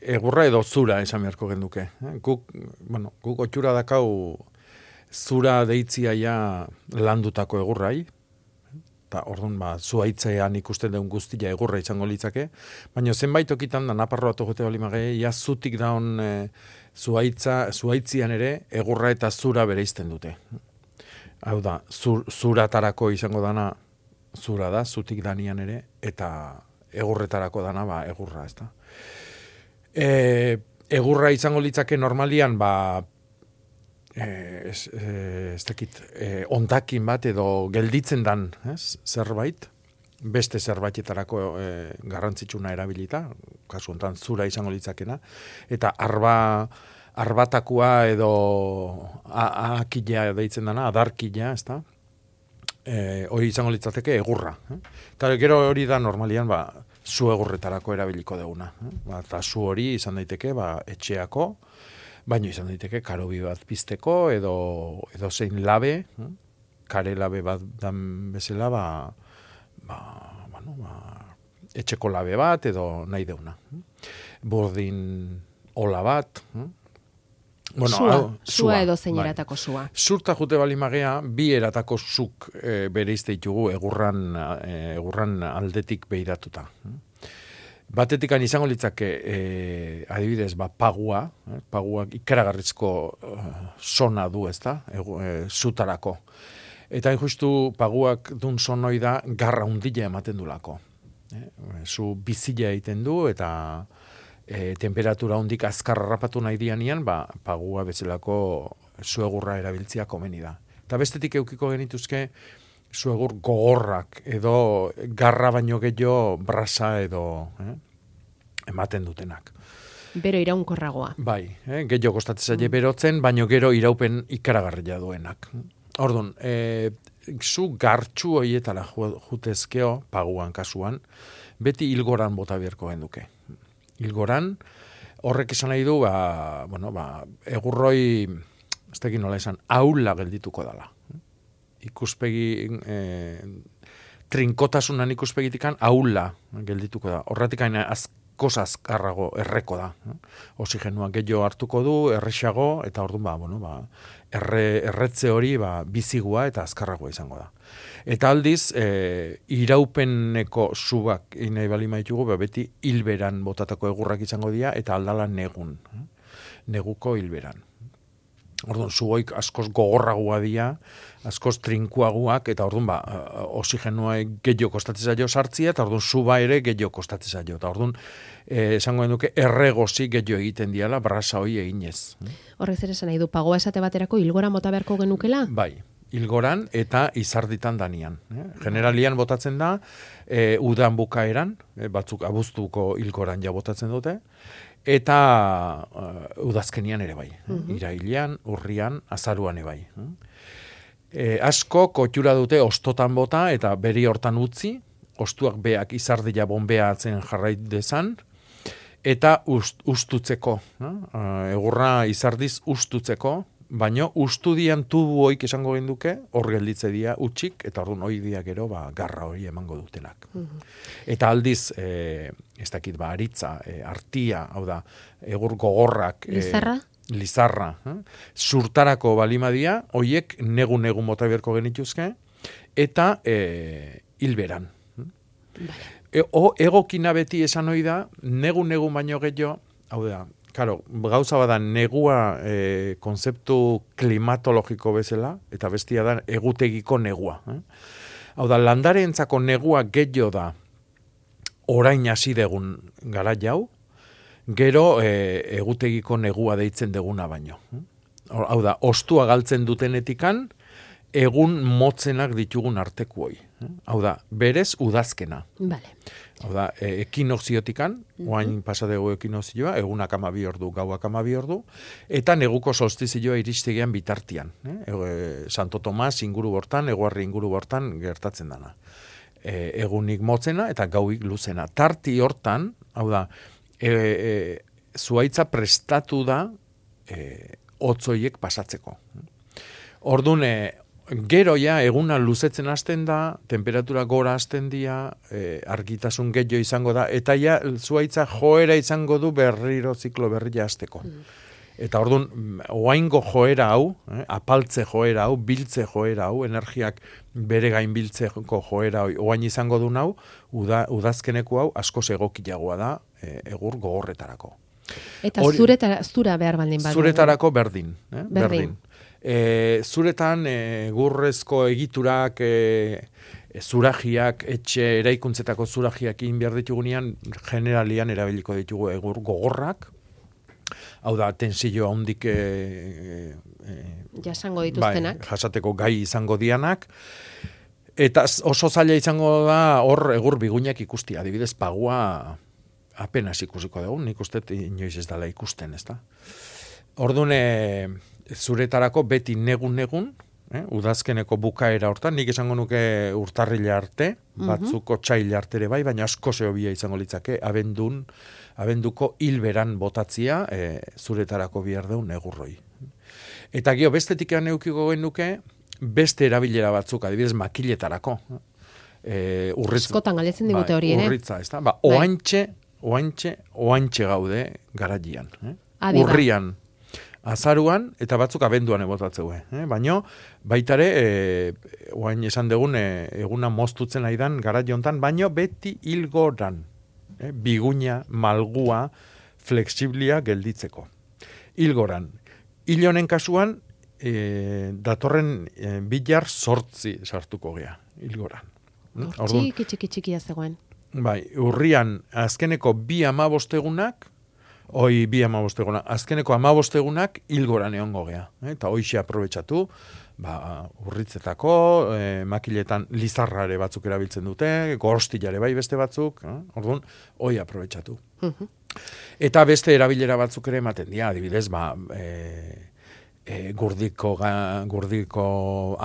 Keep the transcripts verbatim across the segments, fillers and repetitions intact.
egurra edo zura esan beharko genduke. Guk, bueno, guk otxura dakau zura deitzia ja landutako egurrai, eta orduan ba, zuaitzean ikusten deun guztia egurra izango litzake, baina zenbait okitan da naparroatu jote bali magei, ja zutik daun e, zuaitza, zuaitzian ere egurra eta zura bereizten dute. Hau da, zur, zuratarako izango dana zura da, zutik danian ere, eta egurretarako dana ba, egurra, ez da. E, egurra izango litzake normalian, ba, Eh, ez, eh, ez dakit, eh, ondakin bat edo gelditzen dan, ez, zerbait, beste zerbaitetarako eh, garrantzitsuna erabilita, kasu hontan zura izango litzakena, eta arba, arbatakua edo akila deitzen dana, adarkila, ez da, eh, hori izango litzateke egurra. Eh? Eta gero hori da normalian, ba, zu egurretarako erabiliko deguna. Eh? Ba, eta zu hori izan daiteke, ba, etxeako, baino izan daiteke karobi bat pizteko edo edo zein labe, kare labe bat dan bezala, ba, ba, bueno, ba, etxeko labe bat edo nahi deuna. Burdin ola bat. Bueno, sua, hau, sua, sua edo zein bai. eratako sua. Zurta jute bali magea, bi eratako zuk e, bereizte ditugu egurran, e, egurran aldetik behiratuta. Batetikan izango litzake, eh, adibidez, ba, pagua, eh, paguak ikaragarrizko uh, sona du, ez da, eh, zutarako. Eta justu paguak dun sonoi da garra undila ematen dulako. Eh, zu bizila egiten du, eta eh, temperatura hundik azkar harrapatu nahi dianian, ba, pagua bezalako zuegurra erabiltzia komeni da. Eta bestetik eukiko genituzke, zuegur gogorrak edo garra baino gehiago brasa edo eh, ematen dutenak. Bero iraunkorragoa. Bai, eh, gehiago kostatzen zaie berotzen, baino gero iraupen ikaragarria duenak. Orduan, eh, zu gartxu horietara jutezkeo, paguan kasuan, beti hilgoran bota beharko genduke. Hilgoran, horrek esan nahi du, ba, bueno, ba, egurroi, ez tekin nola esan, aula geldituko dala. Ikuspegi eh, trinkotasunan ikuspegitikan aula geldituko da. Horretik aina askoz azkarrago erreko da. Oxigenua gehiago hartuko du, errexago, eta orduan ba, bueno, ba, erre, erretze hori ba, bizigua eta azkarragoa izango da. Eta aldiz, e, iraupeneko subak inai bali maitugu, ba, beti hilberan botatako egurrak izango dira, eta aldala negun. Neguko hilberan. Orduan, zugoik askoz gogorragoa dira, askoz trinkuaguak, eta orduan, ba, oxigenua gehiago kostatzen zaio sartzia, eta orduan, zuba ere gehiago kostatzen zaio. Eta orduan, eh, esango duke, erregozi gehiago egiten diala, brasa hori eginez. Horrez ere esan nahi du, pagoa esate baterako hilgora mota beharko genukela? Bai, hilgoran eta izarditan danian. Eh? Generalian botatzen da, eh, udan bukaeran, eh, batzuk abuztuko hilgoran ja botatzen dute, eta uh, udazkenian ere bai. Mm-hmm. Irailean, urrian, azaruan ere bai. E, asko kotxura dute ostotan bota eta beri hortan utzi, ostuak beak izardila bombea atzen jarrait dezan, eta ust, ustutzeko. No? Uh, egurra izardiz ustutzeko, baino ustudian tubuoik esango genduke, hor gelditze dia utxik, eta orduan hoi dia gero ba, garra hori emango dutenak. Mm-hmm. Eta aldiz, e, ez dakit ba, aritza, e, artia, hau da, egur gogorrak, Lizarra? E, lizarra, eh? Zurtarako balimadia, hoiek negu-negu mota beharko genituzke, eta e, hilberan. Vale. E, o, egokina beti esan hoi da, negu-negu baino gehiago, hau da, Claro, gauza bada negua e, konzeptu klimatologiko bezala, eta bestia da egutegiko negua. Eh? Hau da, landareentzako negua gehiago da orain hasi degun gara jau, gero e, egutegiko negua deitzen deguna baino. Hau da, ostua galtzen dutenetikan, egun motzenak ditugun artekuoi. Hau da, berez udazkena. Vale. Hau da, e, ekinoziotikan, mm-hmm. oain pasadego ekinozioa, egunak amabi ordu, gauak amabi ordu, eta neguko solstizioa iristegean bitartian. Eh? E, Santo Tomas inguru bortan, eguarri inguru bortan gertatzen dana. E, egunik motzena eta gauik luzena. Tarti hortan, hau da, e, e, zuaitza prestatu da e, otzoiek pasatzeko. Ordun, e, Gero ja, eguna luzetzen hasten da, temperatura gora hasten dira, e, argitasun gehiago izango da, eta ja, zuaitza joera izango du berriro ziklo berria hasteko. Mm. Eta orduan, oaingo joera hau, eh, apaltze joera hau, biltze joera hau, energiak bere gain biltzeko joera hau, oain izango du hau, uda, udazkeneko hau, askoz egokiagoa da, e, egur gogorretarako. Eta Hori, zuretara, zura behar baldin bat. Zuretarako berdin. Eh? Berdin. berdin. E, zuretan e, gurrezko egiturak, e, e, zurajiak, etxe eraikuntzetako zurajiak egin behar ditugunean, generalian erabiliko ditugu egur gogorrak, hau da, tensio handik e, e, jasango dituztenak. Bai, jasateko gai izango dianak, eta oso zaila izango da hor egur biguinak ikustia, adibidez pagua apenas ikusiko dugu, nik uste inoiz ez dela ikusten, ez da. Orduan, e, zuretarako beti negun-negun, eh, udazkeneko bukaera hortan, nik esango nuke urtarrila arte, batzuko txaila arte ere bai, baina asko zehobia izango litzake, abendun, abenduko hilberan botatzia e, zuretarako bihar deun negurroi. Eta gio, bestetik eukiko genuke, beste erabilera batzuk, adibidez makiletarako. E, urritz, Askotan galetzen digute hori, bai, urritza, ez da? Ba, oantxe, oantxe, oantxe gaude garaian. Eh? Urrian, azaruan, eta batzuk abenduan ebotatzeue. Eh? Baina, baitare, e, oain esan dugun, e, eguna moztutzen aidan gara jontan, baina beti hilgoran. Eh? Biguña, malgua, fleksiblia gelditzeko. Hilgoran. Hilonen kasuan, e, datorren e, bilar sortzi sartuko gea. Hilgoran. Txiki, txiki, txikia zegoen. Bai, urrian, azkeneko bi amabostegunak, Hoi bi amabostegunak, azkeneko amabostegunak hilgoran egongo gea. Eh? Eta hoixe aprobetxatu, ba, urritzetako, eh, makiletan lizarrare batzuk erabiltzen dute, gorostillare bai beste batzuk, eh? Orduan, hoi aprobetxatu. Uh-huh. Eta beste erabilera batzuk ere ematen dira, adibidez, ba, e, e, gurdiko, ga, gurdiko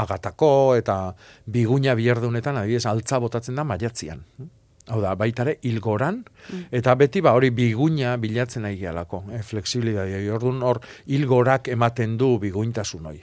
agatako, eta biguña biherdunetan, adibidez, altza botatzen da maiatzian. Hau da, baitare, hilgoran, mm. eta beti ba hori biguña bilatzen nahi gehalako, eh, fleksibilitatea. Orduan hor hilgorak ematen du biguintasun hori.